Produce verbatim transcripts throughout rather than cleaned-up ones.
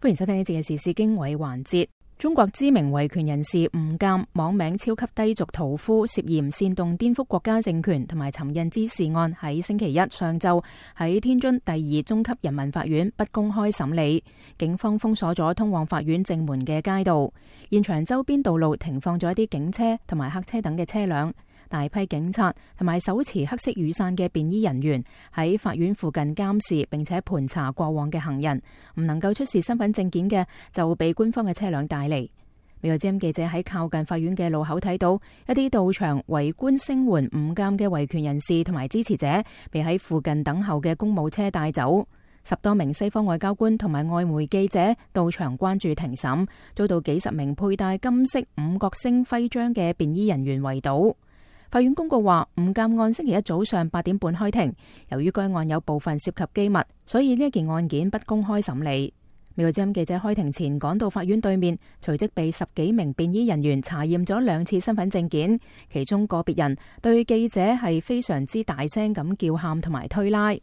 歡迎收聽呢節嘅時事經緯環節。中國知名維權人士吳鑑網名超級低俗屠夫，涉嫌煽動顛覆國家政權同埋尋釁滋事案，喺星期一上晝喺天津第二中級人民法院不公開審理。警方封鎖咗通往法院正門嘅街道，現場周邊道路停放咗一啲警車同埋客車等嘅車輛。大批警察同埋手持黑色雨傘嘅便衣人員喺法院附近監視並且盤查過往嘅行人，唔能夠出示身份證件嘅就被官方嘅車輛帶離。美國之音記者喺靠近法院嘅路口睇到一啲到場圍觀聲援吳鑑嘅維權人士同埋支持者被喺附近等候嘅公務車帶走。十多名西方外交官同埋外媒記者到場關注庭審，遭到幾十名佩戴金色五角星徽章嘅便衣人員圍堵。法院公告話，吳鑑案星期一早上八點半開庭，由於該案有部分涉及機密，所以呢一件案件不公開審理。美國之音記者開庭前趕到法院對面，隨即被十幾名便衣人員查驗咗兩次身份證件，其中個別人對記者係非常之大聲咁叫喊同埋推拉。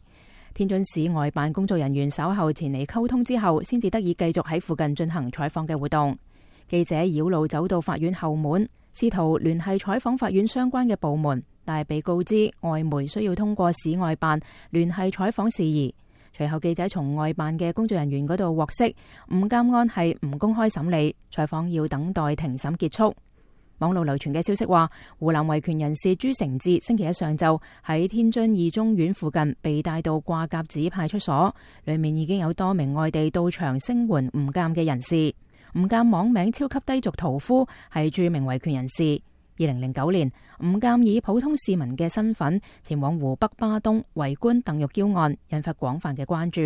天津市外辦工作人員稍後前嚟溝通之後，先至得以繼續喺附近進行採訪嘅活動。記者繞路走到法院後門，試圖聯繫採訪法院相關嘅部門，但係被告知外媒需要通過市外辦聯繫採訪事宜。隨後記者從外辦嘅工作人員嗰度獲悉，吳鑑案係唔公開審理，採訪要等待庭審結束。網絡流傳嘅消息話，湖南維權人士朱成志星期一上晝喺天津二中院附近被帶到掛甲子派出所，裏面已經有多名外地到場聲援吳鑑嘅人士。吳鑑網名超級低俗屠夫，係著名維權人士。二零零九年，吳鑑以普通市民嘅身份前往湖北巴東圍觀鄧玉嬌案，引發廣泛嘅關注。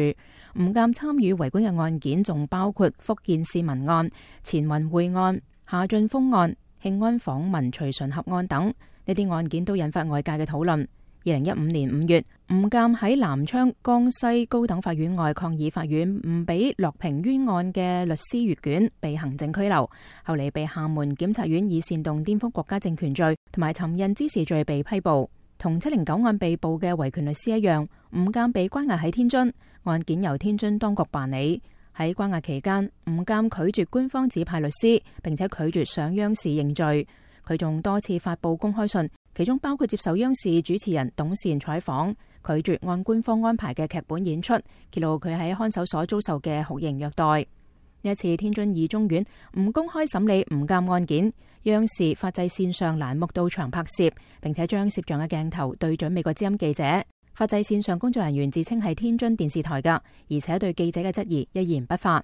吳鑑參與圍觀嘅案件仲包括福建市民案、錢雲會案、夏俊峰案、慶安訪民徐順合案等，呢啲案件都引發外界嘅討論。二零一五年五月，吳鑑喺南昌江西高等法院外抗議法院唔俾樂平冤案嘅律師閱卷，被行政拘留。後嚟被廈門檢察院以煽動顛覆國家政權罪同埋尋釁滋事罪被批捕。同七零九案被捕嘅維權律師一樣，吳鑑被關押喺天津，案件由天津當局辦理。喺關押期間，吳鑑拒絕官方指派律師，並且拒絕上央視認罪。佢仲多次發佈公開信，其中包括接受央視主持人董倩採訪，拒絕按官方安排嘅劇本演出，揭露佢喺看守所遭受嘅酷刑虐待。呢一次天津二中院唔公開審理吳鑑案件，央視法制線上欄目到場拍攝，並且將攝像嘅鏡頭對準美國之音記者。法制線上工作人員自稱係天津電視台㗎，而且對記者嘅質疑一言不發。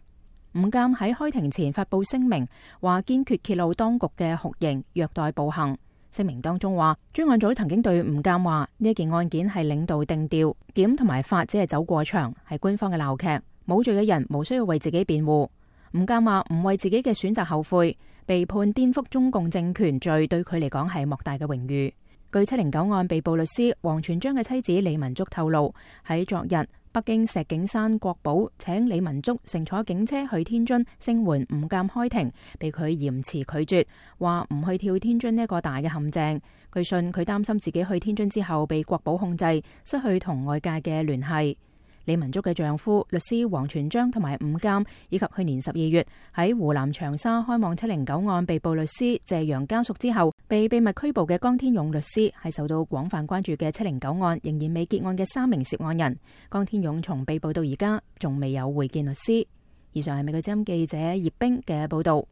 吳鑑喺開庭前發佈聲明，話堅決揭露當局嘅酷刑、虐待、暴行。聲明當中話，專案組曾經對吳鑑話，呢一件案件係領導定調，檢同埋法只係走過場，係官方嘅鬧劇，冇罪嘅人無需要為自己辯護。吳鑑話唔為自己嘅選擇後悔，被判顛覆中共政權罪對佢嚟講係莫大嘅榮譽。據七零九案被捕律師王全璋嘅妻子李文竹透露，喺昨日，北京石景山國寶請李文竹乘坐警車去天津聲援吳鑑開庭，被佢嚴詞拒絕，話唔去跳天津呢一個大嘅陷阱。據信佢擔心自己去天津之後被國保控制，失去同外界嘅聯繫。李文竹嘅丈夫律師王全璋同埋吳鑑，以及去年十二月喺湖南長沙開網七零九案被捕律師謝陽家屬之後被秘密拘捕嘅江天勇律師，係受到廣泛關注嘅七零九案仍然未結案嘅三名涉案人。江天勇從被捕到而家仲未有會見律師。以上係美國之音記者葉冰嘅報道。